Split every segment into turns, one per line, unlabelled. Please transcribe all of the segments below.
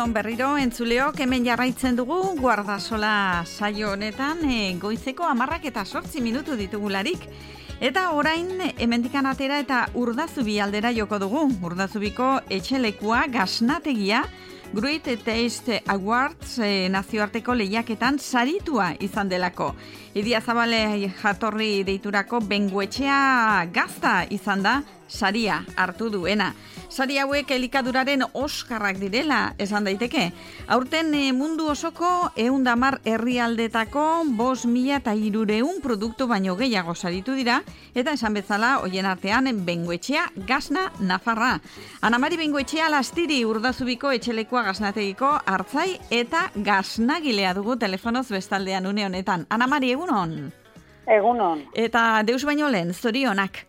Egunon berriro entzuleok hemen jarraitzen dugu Guardasola saio honetan goizeko 10:08 ditugularik. Eta orain hemendikan atera eta Urdazubi aldera joko dugu. Urdazubiko etxelekua gasnategia Great Taste Awards nazioarteko lehiaketan saritua izan delako. Idia Zabale jatorri deiturako bengoetxea gazta izan da saria hartu duena. Sari hauek elikaduraren Oskarrak direla esan daiteke. Aurten mundu osoko 110 herrialdetako 5.300 produktu baino gehiago saritu dira, eta esan bezala hoien artean bengoetxea gasna Nafarra. Ana Mari Bengoetxea Lastiri Urdazubiko etxelekoa gasnategiko hartzai eta gasnagilea dugu telefonoz bestaldean une honetan. Ana Mari, egunon?
Egunon.
Eta deus baino lehen, zorionak.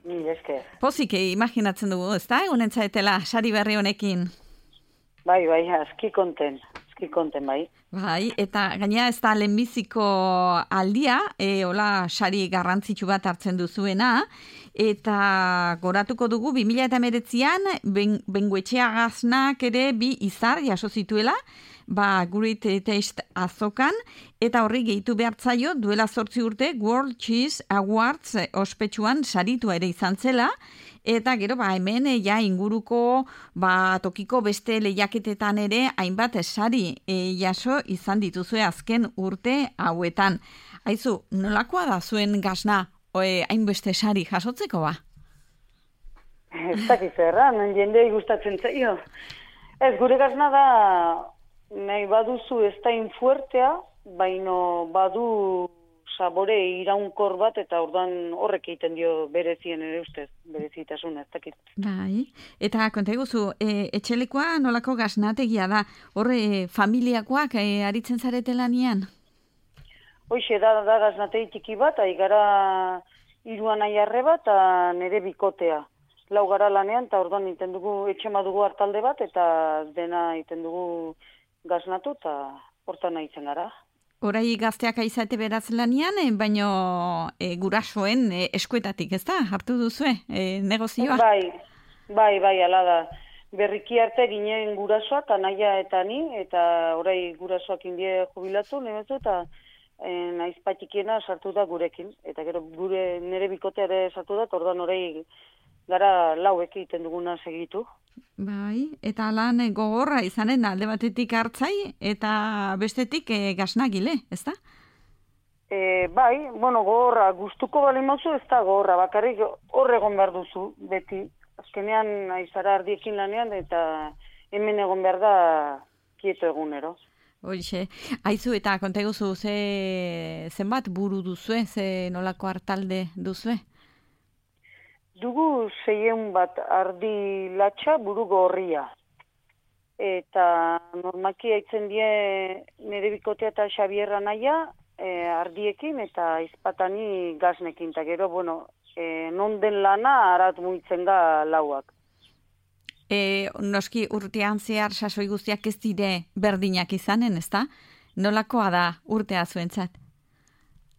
Ni esker.
Pozik imaginatzen dugu, ezta? Egunen zaetela sari berri honekin.
Bai, aski konten bai.
Bai, eta gaina ez da lehenbiziko aldia, hola sari garrantzitsu bat hartzen duzuena, eta goratuko dugu 2019an bengoetxea gaznak ere 2 izar jaso zituela, Great Taste azokan, eta horri gehitu behartzaio duela 8 urte World Cheese Awards ospetsuan saritua ere izan zela, eta gero hemen inguruko tokiko beste lehiaketetan ere hainbat sari jaso izan dituzue azken urte hauetan. Aizu, nolakoa da zuen gasna hainbeste sari jasotzeko ba?
Ez dakiz erran, jendei gustatzen zaio. Ez, gure gasna da nahi baduzu ez da infuertea, baino badu sabore iraunkor bat, eta ordan horrek egiten dio berezien ere ustez, berezitasuna, ez dakit.
Bai, eta konta eguzu, etxelekoa nolako gasnategia da, horre familiakoak aritzen zarete lanian?
Hoxe, da gasnategi txiki bat, aigara 3 aiarre bat, eta nere bikotea. 4 gara lanean, eta ordan iten dugu, etxema dugu hartalde bat, eta dena iten dugu gaznatu, eta hortan nahitzen gara.
Horai gazteak aizate beraz lanian, baino gurasoen eskuetatik, ez da? Hartu duzue negozioa?
Bai, ala da. Berriki arte ginen gurasoak, anaia eta ni, eta orai gurasoak indie jubilatu, nebezu, eta naizpatikiena sartu da gurekin. Eta gero nere bikotea ere sartu da, ordan orai gara 4 egiten duguna segitu.
Bai, eta lan gogorra izanen alde batetik hartzai eta bestetik gasnagile, ez da?
Bai, gogorra, gustuko bali mauzu ez da gogorra, bakarrik egon behar duzu, beti. Azkenean aizara ardiekin lanean, eta hemen egon behar da kieto egunero.
Hoxe, aizu eta konta eguzu zenbat buru duzue, nolako hartalde duzue?
Dugu 600 bat ardi latxa buru gorria. Eta normaki haitzen die nire bikotea eta Xabierra naia ardiekin eta izpatani gaznekin. Eta gero, non den lana arat muitzen da 4ak.
Noski urtean zehar sasoi guztiak ez dire berdinak izanen, ez da? Nolakoa da urtea zuentzat?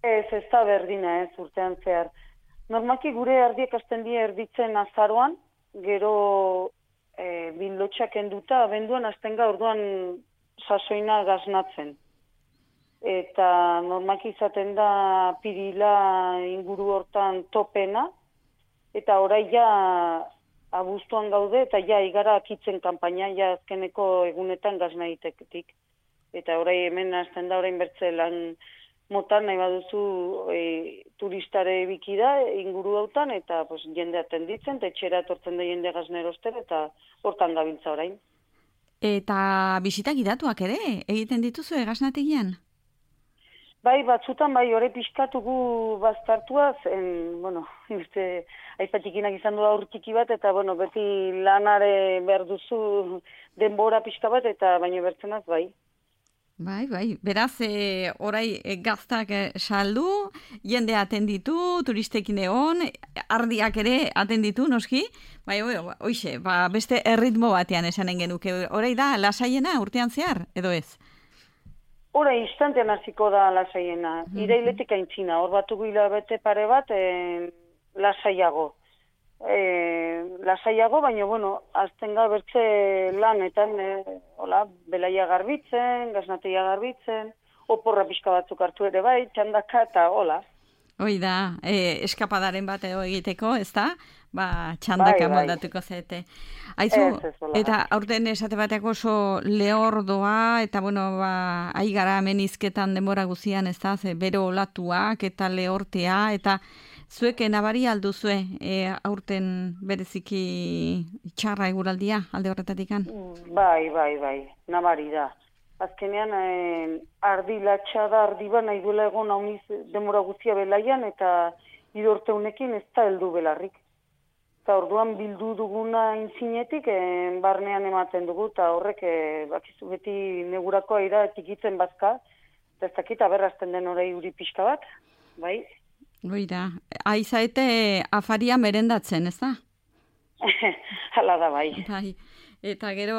Ez da berdina urtean zehar. Normalki gure ardiek hasten die erditzen azaroan, gero bildotxak enduta, abenduan hasten ga orduan sasoina gaznatzen. Eta normalki izaten da pirila inguru hortan topena, eta orai ja abuztuan gaude, eta ja igara akitzen kanpaina, ja azkeneko egunetan gazna iteketik. Eta orai hemen hasten da orain bertze lan motan nahi baduzu turistare biki da inguru hautan, eta jende atenditzen, eta etxera etortzen da jende gazneroster, eta hortan gabiltza orain.
Eta bisita gidatuak ere, egiten dituzu gaznategian?
Bai, batzutan, hori pixkatugu baztartuaz, aipatikinak izan du aur txiki bat, eta beti lanare behar duzu denbora pixka bat, eta baino bertzenaz, bai.
Bai, beraz, orai gaztak saldu, jende atenditu, turistekin egon, ardiak ere atenditu, noski, hoxe, beste erritmo batean esanen genuke, orai da lasaiena urtean zehar, edo ez?
Orai instantean hasiko da lasaiena, irailetik aintzina, hor batu hilabete pare bat lasaiago. lasaiago, baina, bueno, aztenga bertze lanetan, hola, belaia garbitzen, gaznateia garbitzen, oporra pixka batzuk hartu ere bai, txandaka eta hola.
Hoi da, eskapadaren bat edo egiteko, ez da? Txandaka moldatuko zete. Aizu, eta aurten esate bateak oso lehordoa, eta bueno, aigara hemen izketan denbora guzian, ez da? Bero olatuak eta lehortea, eta zuek nabari alduzue aurten bereziki txarra eguraldia alde horretatikan?
Bai, nabari da. Azkenean, ardi latxa da, ardi ba nahi duela egon hauniz demora guztia belaian, eta idorte honekin ez da heldu belarrik. Eta orduan bildu duguna intzinetik, barnean ematen dugu, eta horrek, bakizu beti negurako aira tikitzen bazka, eta ez dakit aberrazten den orai uri pixka bat, bai?
Oida, aizaete afaria merendatzen, ez da?
Hala da, bai.
Eta gero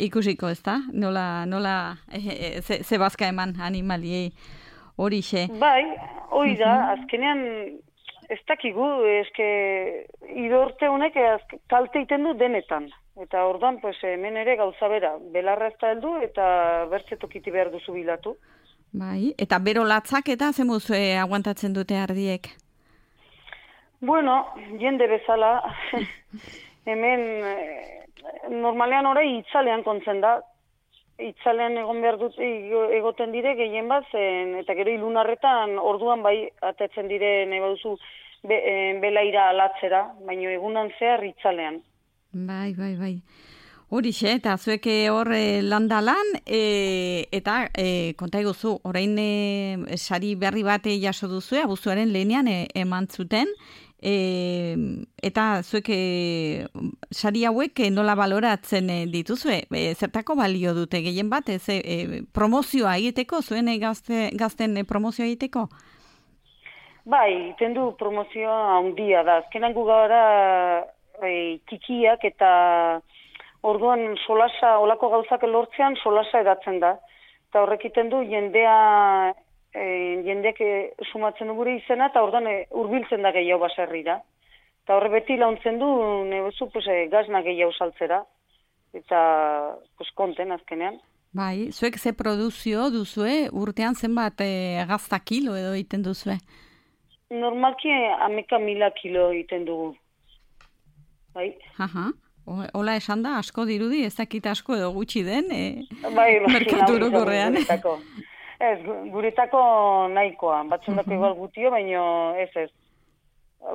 ikusiko, ez da? Nola ze bazka eman animaliei horixe.
Bai, hori da, azkenean ez dakigu, eske idorte honek kalte iten du denetan. Eta orduan, hemen ere gauza bera, belarra ez da heldu eta bertzetokiti behar duzu bilatu.
Bai, eta bero latzak eta zemuz aguantatzen dute ardiek?
Bueno, jende bezala, hemen normalean orai itzalean kontzen da. Itzalean egon behar dut egoten dire gehien bat, eta gero ilunarretan orduan bai atetzen dire nahi baduzu belaira alatzera, baina egunan zehar itzalean.
Bai. Horixe, eta zuek hor landalan, eta konta eguzu, orain sari berri bat jaso duzue, abuztuaren lehenean eman zuten, eta zuek sari hauek nola baloratzen dituzue, zertako balio dute gehien bat, promozioa egiteko, zuen gazten promozioa egiteko?
Bai, iten du promozioa handia da, azkenan gu gara txikiak eta orduan solasa, olako gauzak lortzean solasa edatzen da. Eta horrek iten du jendeak sumatzen du gure izena, eta orduan hurbiltzen da gehiago baserrira. Eta horre beti launtzen du, nebezu, gazna gehiago saltzera. Eta, konten azkenean.
Bai, zuek ze produzio duzue, urtean zenbat gazta kilo edo egiten duzue?
Normalki 11.000 kilo egiten dugu. Bai.
Hola esan da, asko dirudi, ez dakit asko edo gutxi den,
merkatu
orokorrean.
Ez, guretako nahikoa, batzundako igual gutio, baina ez.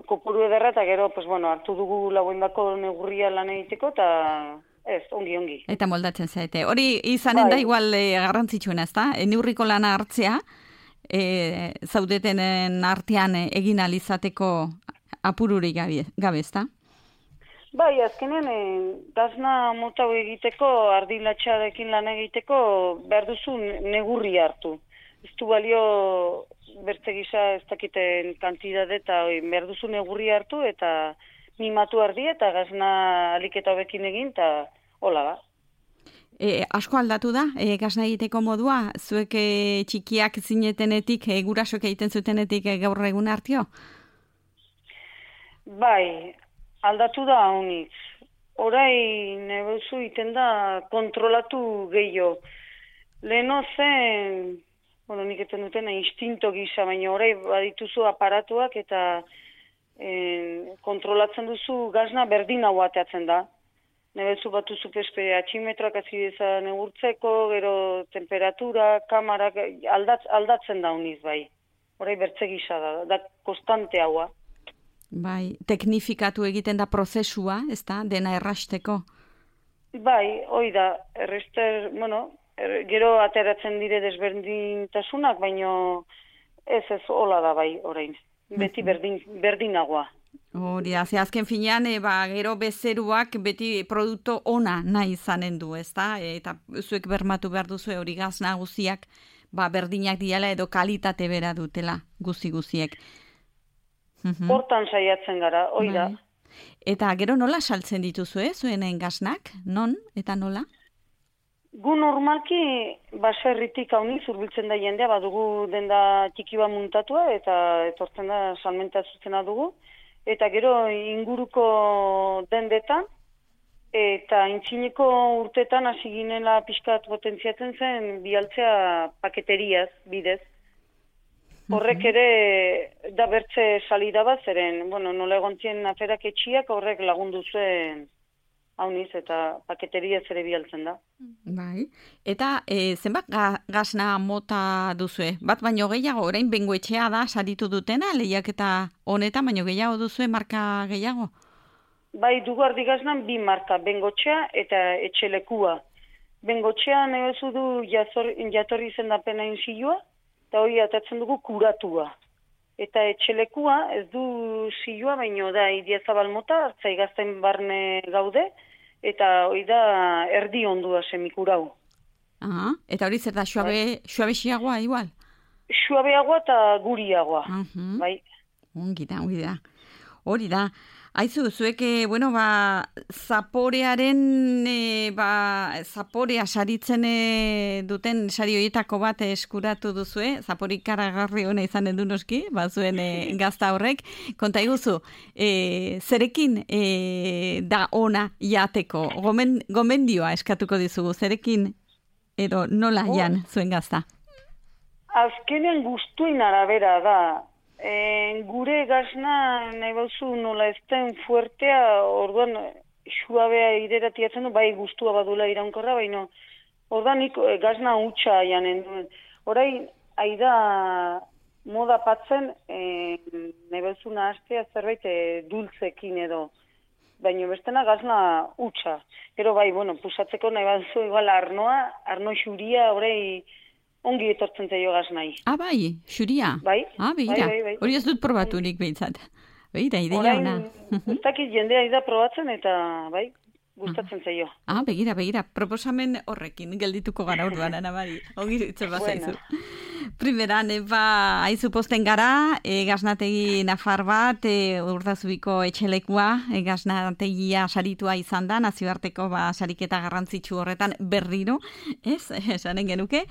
Kopuru ederra eta gero, hartu dugu laguendako negurria lan egiteko, eta ez, ongi.
Eta moldatzen zaite. Hori izanen da igual garrantzitsuena, ez da? Neurriko lana hartzea, zaudetenen artean egin alizateko apururik gabe, ez da?
Bai, azkenean, gazna mota egiteko, ardilatxarekin lan egiteko, behar duzu negurri hartu. Ez du balio bertze gisa ez dakiten kantidade eta behar duzu negurri hartu eta mimatu ardi eta gazna aliketa hobekin egin eta hola da.
Asko aldatu da, gazna egiteko modua, zuek txikiak zinetenetik, gurasok egiten zutenetik gaur egun hartio?
Bai, aldatu da honitz. Horai nebezu iten da kontrolatu gehiago. Leheno zen, nik eten dutena instinto gisa, baina horai badituzu aparatuak eta kontrolatzen duzu gazna berdin hau ateatzen da. Nebezu batuzu atximetroak azideza negurtzeko, gero temperatura, kamarak, aldatzen da honiz bai. Horai bertze gisa da konstante haua.
Bai, teknifikatu egiten da prozesua, ez da, dena errasteko?
Bai, hoi da, gero ateratzen dire desberdintasunak, baina ez hola da bai, orain. Beti berdinagoa.
Hori da, azken finean, gero bezeruak beti produktu ona nahi izanen du, ez da? Eta zuek bermatu behar duzu hori gaz nagusiak, berdinak diala edo kalitate bera dutela guziek.
Hortan saiatzen gara, hoi da.
Eta gero nola saltzen dituzue, zuenen gaznak? Non eta nola?
Gu normalki baserritik hauniz urbiltzen da jendea, badugu denda txiki bat muntatua eta etortzen da salmenta zuzena dugu. eta gero inguruko dendetan, eta intzineko urtetan hasi ginela pixkat potentziatzen zen bialtzea paketeriaz bidez. Horrek ere da bertze salida bat, zeren, nola egontzien aferak etxiak horrek lagundu zuen hauniz eta paketeriaz ere bialtzen da.
Bai. Eta zenbat gasna mota duzue? Bat baino gehiago, orain bengoetxea da saritu dutena, lehiaketa honetan, baino gehiago duzue marka gehiago?
Bai, dugu ardigaznan 2 marka, bengotxea eta etxelekua. Bengotxea nebezu du jatorri izendapena inzilua, eta hori atatzen dugu kuratua. Eta etxelekua ez du zilua, baino da idiazabal mota, hartzai gazten barne gaude, eta hori da erdi ondua semikurau.
Eta hori zer da, suabexiagoa igual?
Suabeagoa eta guriagoa, bai.
Ongi da. Hori da. Aizu, zuek, zaporearen, zaporea saritzen duten sari horietako bat eskuratu duzue, zaporik karagarri hona izan edu noski, zuen gazta horrek. Konta iguzu, zerekin da ona jateko, gomendioa eskatuko dizugu, zerekin edo nola jan zuen gazta?
Azkenean guztuin arabera da. Gure gazna nahi bauzu nola ezten fuertea, orduan suabea ideratiatzen du, bai guztua badula iraunkorra, baina orduan gazna hutsa janen duen. Horai, aida moda patzen, nahi bauzu nahaztea zerbait dultzekin edo, baina bestena gazna hutsa. Gero bai, pusatzeko nahi bauzu igual arno xuria, horai, ongi etortzen zaio gaznai.
Bai, xuria?
Bai.
Begira.
Bai.
Hori ez dut probaturik behintzat. Begira, ideia ona.
Ez dakit jendea da probatzen eta, bai, gustatzen zaio.
Begira. Proposamen horrekin geldituko gara orduan, Anamari. Ongi itzen bazaizu. Primeran, haizu posten gara, gaznategi nafar bat, Urdazubiko etxelekua, gaznategia saritua izan da, nazioarteko sariketa garrantzitsu horretan berriro, esanen genuke,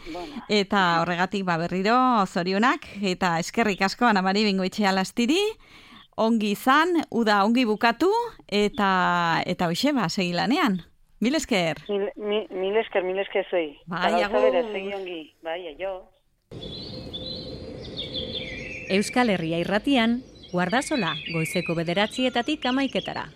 eta horregatik berriro zorionak, eta eskerrik asko, Anamari Bengoetxea Lastiri, ongi izan, uda ongi bukatu, eta hoxe, segi lanean. Mil esker.
Mil esker zuei.
Bai, agur.
Segi ongi. Bai, aio.
Euskal Herria Irratian, Guardasola, goizeko 9:00 11:00.